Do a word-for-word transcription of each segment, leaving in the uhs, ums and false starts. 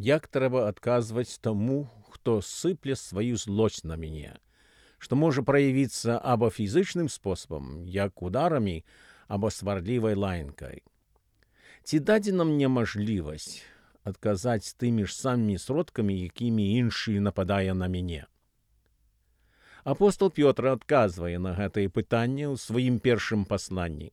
Як трэба адказваць таму, хто сыпле сваю злосць на мяне, што можа праявіцца або фізычным спосабам, як ударамі, або сварлівай лаянкай. Ці дадзена мне мажлівасць адказаць тымі ж самымі сродкамі, якімі іншы нападае на мяне? Апостол Пётр адказвае на гэтае пытанне ў сваім першым пасланні.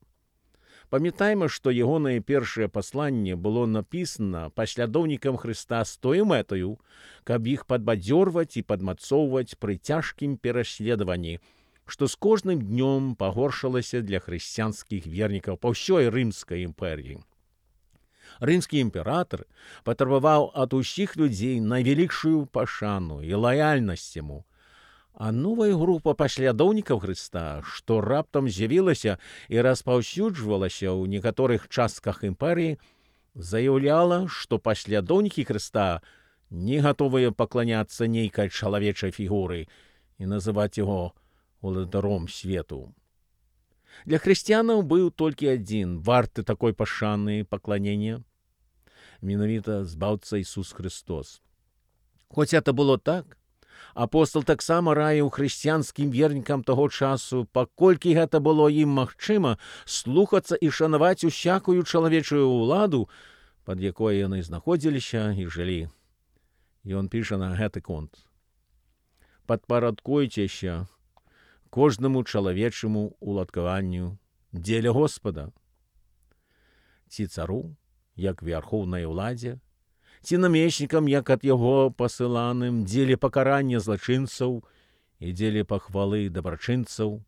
Памятаем, што ягонае першае пасланне было напісана паслядоўнікам Хрыста з тою мэтаю, каб іх падбадзёрваць і падмацоўваць пры цяжкім пераследаванні, што з кожным днём пагоршылася для хрысціянскіх вернікаў па ўсёй рымскай імперіі. Рымскі імператар патрабаваў ад усіх людзей найвялікшую пашану і лаяльнасць яму, а новая група паслядоўнікаў Хрыста, што раптам з'явілася і распаўсюджвалася ў некаторых частках імперыі, заяўляла, што паслядоўнікі Хрыста не гатовыя пакланяцца нейкай чалавечай фігуры і называць яго уладаром свету. Для хрысціянаў быў толькі адзін варты такой пашаны і пакланення, менавіта збаўца Ісус Христос. Хоць это было так, апостол таксама раіў хрысціянскім вернікам таго часу, паколькі гэта было ім магчыма, слухацца і шанаваць усякую чалавечую ўладу, пад якой яны знаходзіліся і жылі. Ён піша на гэты конт: «Падпарадкуйцеся кожнаму чалавечаму уладкаванню дзеля Господа, ці цару, як вярхоўнай уладзе, ці намеснікам, як ад яго пасыланым, дзеля пакарання злачынцаў і дзеля пахвалы дабрачынцаў.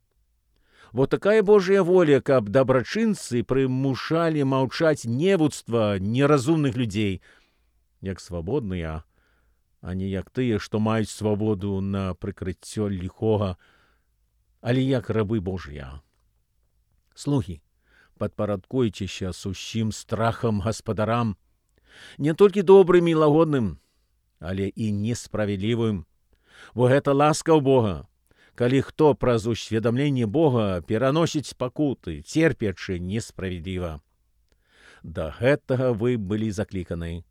Бо такая Божая воля, каб дабрачынцы прымушалі маўчаць невуцтва неразумных людзей, як свабодныя, а не як тыя, што маюць свабоду на прыкрыццё ліхога, але як рабы Божыя. Слугі, падпарадкуйцеся з усім страхам гаспадарам, не толькі добрым і лагодным, але і несправядлівым, бо гэта ласка ў Бога, калі хто праз усведамленне Бога пераносіць пакуты, церпячы несправядліва. Да гэтага вы былі закліканы,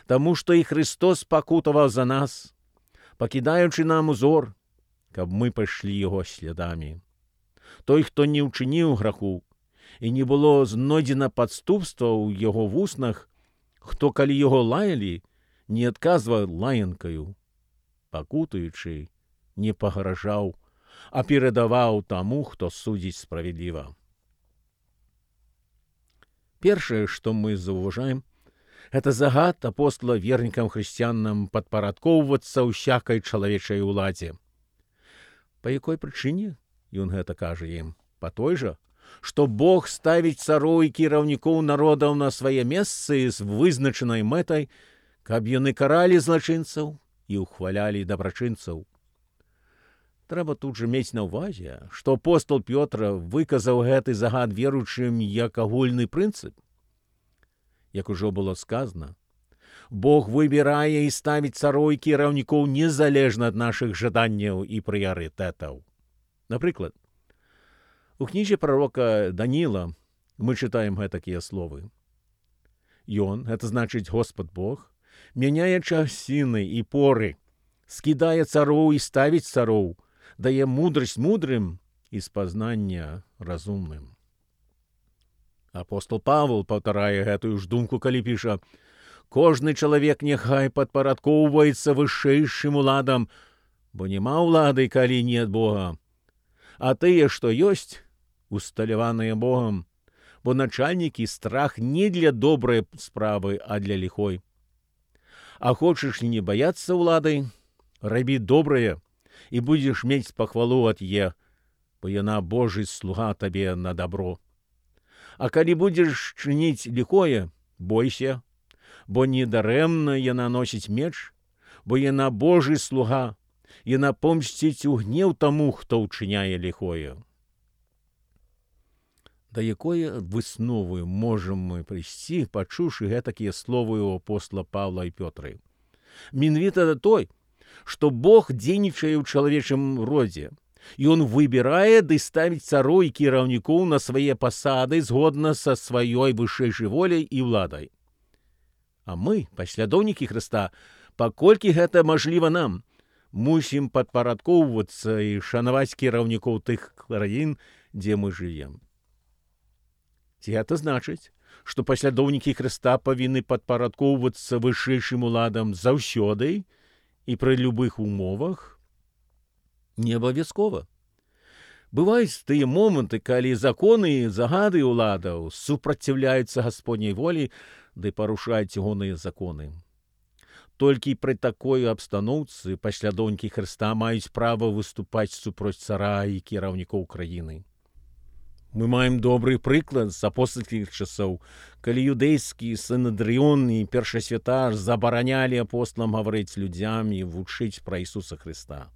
таму што і Христос пакутаваў за нас, пакідаючы нам узор, каб мы пайшлі яго слядамі. Той, хто не ўчыніў граху, і не было знойдзена падступства ў яго вуснах, хто, калі яго лаялі, не адказваў лаянкаю, пакутаючы, не пагражаў, а перадаваў таму, хто судзіць справядліва. Першае, што мы заўважаем, гэта загад апостола вернікам хрысціянам падпарадкоўвацца ўсякай чалавечай уладзе. Па якой прычыне ён гэта кажа ім? Па той жа, што Бог ставіць цароў і кіраўнікоў народаў на свае месцы з вызначанай мэтай, каб яны каралі злачынцаў і ухвалялі дабрачынцаў. Трэба тут жа мець на ўвазе, што апостол Пётр выказаў гэты загад веруючым як агульны прынцып. Як ужо было сказана, Бог выбірае і ставіць цароў і кіраўнікоў незалежна ад нашых жаданняў і прыярытэтаў. Напрыклад, у кнізе прарока Даніла мы чытаем гэтакія словы. Ён, гэта значыць Господ Бог, мяняе часіны і поры, скідае цароў і ставіць цароў, дае мудрасць мудрым і спазнання разумным. Апостол Павел паўтарае гэтую ж думку, калі піша: «Кожны чалавек няхай падпарадкоўваецца вышэйшым уладам, бо няма ўлады, калі не ад Бога. А тыя, што ёсць, усталяваныя Богам, бо начальнікі страх не для добрай справы, а для ліхой. А хочаш не баяцца ўлады, рабі добрае, і будзеш мець пахвалу ад е, бо яна Божий слуга табе на добро. А калі будзеш чыніць ліхое, бойся, бо недарэмна яна носіць меч, бо яна Божий слуга, яна помсціць у гнеў таму, хто ўчыняе ліхое». Да якой высновы можам мы прыйсці, пачуўшы гэтакія словы у апостола Павла і Пётры? Менавіта той, што Бог дзейнічае ў чалавечым родзе, і ён выбірае ды ставіць цароў і кіраўнікоў на свае пасады згодна са сваёй вышэйшай воляй і ўладай. А мы, паслядоўнікі Хрыста, паколькі гэта мажліва нам, мусім падпарадкоўвацца і шанаваць кіраўнікоў тых краін, дзе мы жывем. Ці гэта значыць, што паслядоўнікі Хрыста павінны падпарадкоўвацца вышэйшым уладам заўсёды і пры любых умовах? Не абавязкова. Бываюць тыя моманты, калі законы і загады ўладаў супраціўляюцца Гасподняй волі ды парушаюць ягоныя законы. Толькі пры такой абстаноўцы паслядоўнікі Хрыста маюць права выступаць супроць цара і кіраўнікоў краіны. Мы маем добры прыклад з апостольскіх часоў, калі юдэйскі синедрыон і першасвятар забаранялі апосталам гаварыць людзям і вучыць пра Ісуса Хрыста.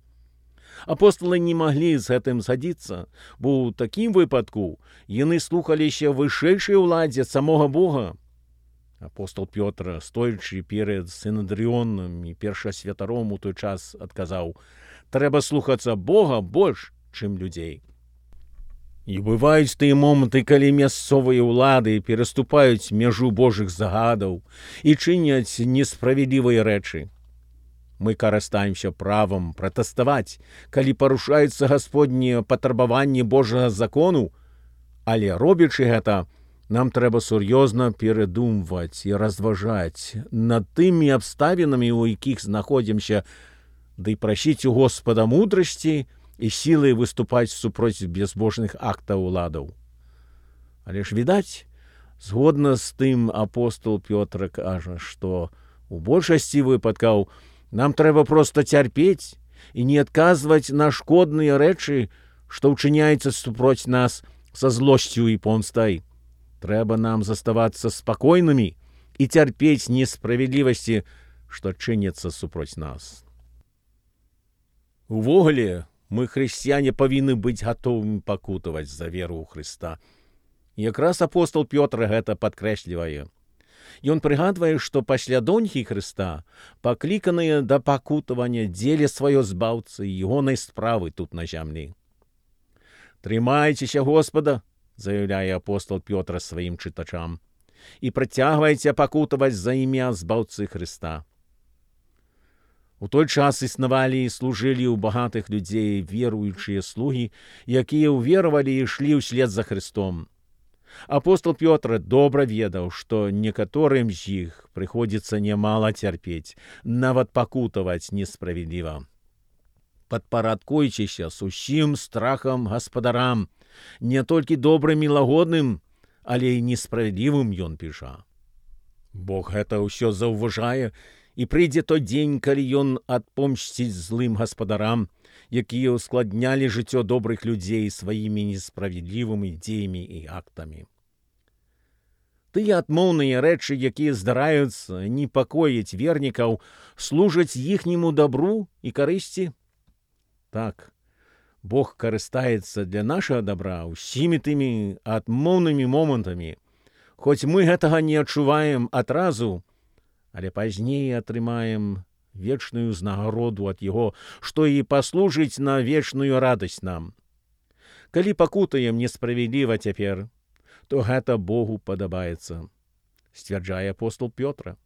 Апосталы не маглі з гэтым згадзіцца, бо ў такім выпадку яны слухаліся вышэйшай уладзе самога Бога. Апостол Пётр, стоячы перад синедрыонам і першасвятаром у той час, адказаў: «Трэба слухацца Бога больш, чым людзей». І бываюць тыя моманты, калі мясцовыя ўлады пераступаюць мяжу Божых загадаў і чыняць несправядлівыя рэчы. Мы карыстаемся правам пратэставаць, калі парушаюцца гасподнія патрабаванні Божага закону, але робячы гэта, нам трэба сур'ёзна перадумваць і разважаць над тымі абставінамі, у якіх знаходзімся, ды прасіць у Господа мудрасці і сілай выступаць супроць безбожных актаў уладаў. Але ж відаць, згодна з тым апостол Пётр кажа, што у большасці выпадкаў нам трэба проста цярпець і не адказваць на шкодныя рэчы, што ўчыняюцца супроць нас са злосцю і помстай. Трэба нам заставацца спакойнымі і цярпець несправядлівасці, што чыняцца супроць нас. Увогуле, мы, хрысціяне, павінны быць гатовымі пакутаваць за веру ў Хрыста. Якраз апостол Пётр гэта падкрэслівае. Ён прыгадвае, што паслядоўнікі Хрыста пакліканыя да пакутавання дзеля сваё збаўцы і ягонай справы тут на зямлі. «Трымайцеся Господа», заяўляе апостол Пётр сваім чытачам, «і працягвайце пакутаваць за імя збаўцы Хрыста». У той час існавалі і служылі ў багатых людзей веруючыя слугі, якія ўверавалі і ішлі ўслед за Хрыстом. Апостол Пётр добра ведаў, што некаторым з іх прыходзіцца нямала цярпець, нават пакутаваць несправядліва. Падпарадкуйцеся з усім страхам гаспадарам, не толькі добрым і лагодным, але і несправядлівым, ён піша. Бог гэта ўсё заўважае, і прыйдзе той дзень, калі ён адпомсціць злым гаспадарам, якія ўскладнялі жыццё добрых людзей сваімі несправядлівымі дзеямі і актамі. Тыя адмоўныя рэчы, якія здараюцца, непакояць вернікаў, служаць іхняму дабру і карысці? Так, Бог карыстаецца для нашага дабра ўсімі тымі адмоўнымі момантамі, хоць мы гэтага не адчуваем адразу, але пазней атрымаем вечную ўзнагароду ад Яго, што і паслужыць на вечную радасць нам. Калі пакутаем несправядліва цяпер, то гэта Богу падабаецца, сцвярджае апостол Пётр.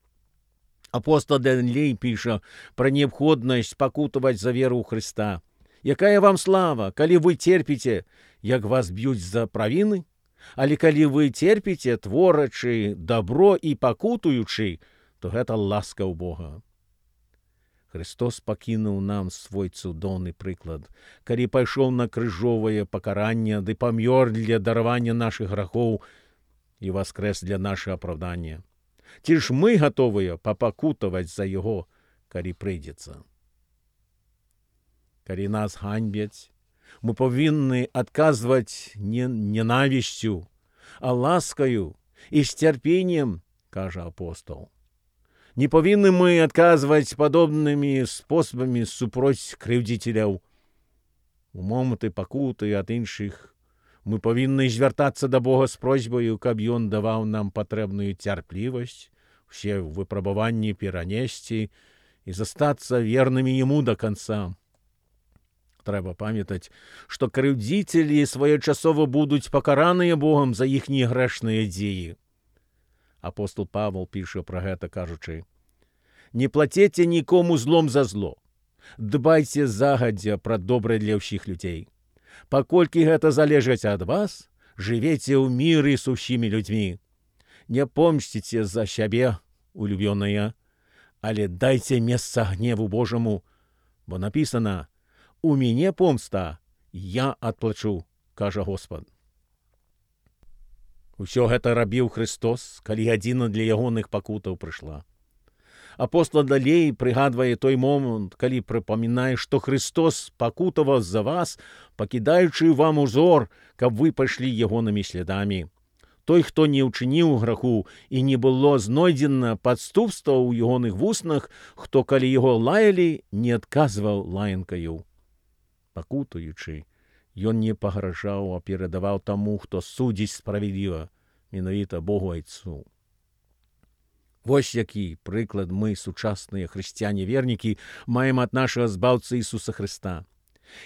Апостол далей піша пра неабходнасць пакутаваць за веру ў Хрыста. Якая вам слава, калі вы церпіце, як вас б'юць за правіны? Але калі вы церпіце, творачы дабро і пакутуючы, то гэта ласка ў Бога. Христос пакінуў нам свой цудоўны прыклад, калі пайшоў на крыжовае пакаранне ды памёр для даравання нашых грахоў і воскрэс для нашага апраўдання. Ці ж мы гатовыя папакутаваць за Яго, калі прыйдзецца? Калі нас ганьбяць, мы павінны адказваць не ненавісцю, а ласкаю і з цярпеннем, кажа апостол. Не павінны мы адказваць падобнымі спосабамі супроць крыўдзіцеляў. У моманты пакуты ад іншых мы павінны звяртацца да Бога з просьбаю, каб Ён даваў нам патрэбную цярплівасць, усе выпрабаванні перанесці і застацца вернымі Яму да канца. Трэба памятаць, што крыўдзіцелі своечасова будуць пакараныя Богам за іхнія грэшныя дзеі. Апостол Павел піша пра гэта, кажучы: «Не плаціце нікому злом за зло. Дбайце загадзя пра добрае для ўсіх людзей. Паколькі гэта залежыць ад вас, жывеце ў міры з усімі людзьмі. Не помсціце за сябе, улюбёныя, але дайце месца гневу Божаму, бо напісана: «У мяне помста, я адплачу, кажа Господ». Усё гэта рабіў Христос, калі гадзіна для ягоных пакутаў прыйшла. Апостол далей прыгадвае той момант, калі прыпамінае, што Христос пакутаваў за вас, пакідаючы вам узор, каб вы пайшлі ягонымі слядамі. Той, хто не ўчыніў граху і не было знойдзена падступства ў ягоных вуснах, хто, калі яго лаялі, не адказваў лаянкаю. Пакутуючы, ён не пагражаў, а перадаваў таму, хто судзіць справядліва, менавіта Богу Айцу. Вось які прыклад мы, сучасныя хрысціяне-вернікі, маем ад нашага збаўцы Ісуса Хрыста.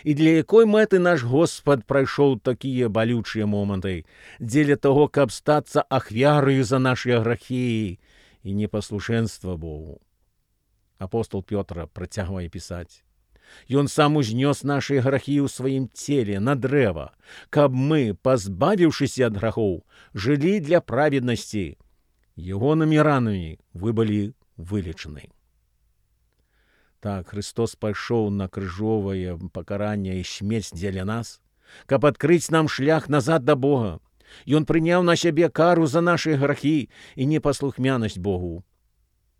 І для якой мэты наш Господ прайшоў такія балючыя моманты? Дзеля таго, каб стацца ахвяраю за нашыя грахі і непаслушэнства Богу. Апостол Пётр працягвае пісаць: «Ён сам узнёс нашыя грахі ў сваім целе на дрэва, каб мы, пазбавіўшыся ад грахоў, жылі для праведнасці. Ягонымі ранамі вы былі вылечаны». Так, Христос пайшоў на крыжовае пакаранне і смерць дзеля нас, каб адкрыць нам шлях назад да Бога. Ён прыняў на сябе кару за нашыя грахі і непаслухмянасць Богу,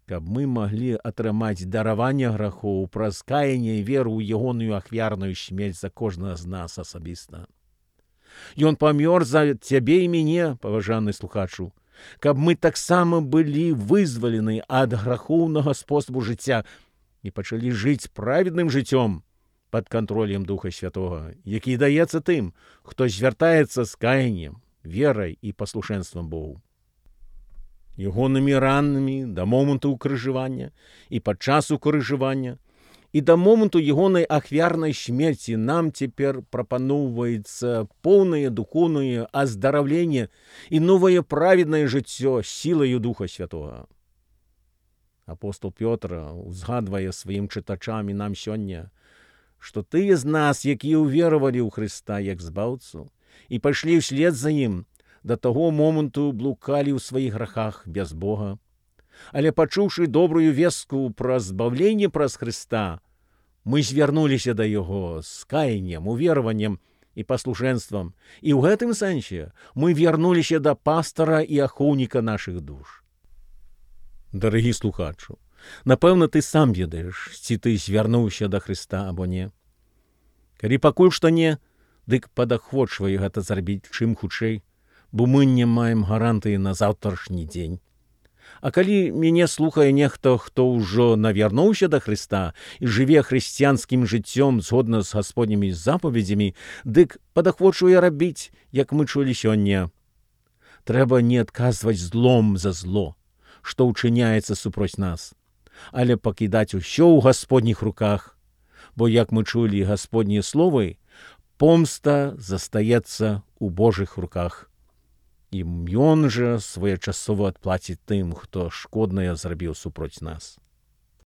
каб мы маглі атрымаць дараванне грахоў праз каянне і веру ў ягоную ахвярную смерць за кожнага з нас асабіста. Ён памёр за цябе і мяне, паважаны слухачу, каб мы таксама былі вызвалены ад грахоўнага спосабу жыцця і пачалі жыць праведным жыццём пад кантролем Духа Святога, які даецца тым, хто звяртаецца з каяннем, верай і паслушэнствам Богу. Ягонымі ранамі да моманту ўкрыжавання і падчас укрыжавання і да моманту ягонай ахвярнай смерці нам цяпер прапаноўваецца поўнае духоўнае аздараўленне і новае праведнае жыццё сілаю Духа Святога. Апостол Пётр узгадвае сваім чытачам і нам сёння, што тыя з нас, якія ўверавалі ў Хрыста як збаўцу і пайшлі ўслед за ім, да таго моманту блукалі ў сваіх грахах без Бога. Але пачуўшы добрую вестку пра збаўленне праз Хрыста, мы звярнуліся да Яго з каяннем, увераваннем і паслушэнствам, і ў гэтым сэнсе мы вярнуліся да пастара і ахоўніка нашых душ. Дарагі слухачу, напэўна, ты сам ведаеш, ці ты звярнуўся да Хрыста або не. Калі пакуль што не, дык падахвочвай гэта зрабіць чым хутчэй, бо мы не маем гарантыі на заўтрашні дзень. А калі мяне слухае нехта, хто ўжо навярнуўся да Хрыста і жыве хрысціянскім жыццём згодна з гасподнімі запаведзямі, дык падахвочвае рабіць, як мы чулі сёння. Трэба не адказваць злом за зло, што ўчыняецца супроць нас, але пакідаць усё ў гасподніх руках, бо, як мы чулі гасподнія словы, помста застаецца ў Божых руках. І ён жа своечасова адплаціць тым, хто шкоднае зрабіў супроць нас.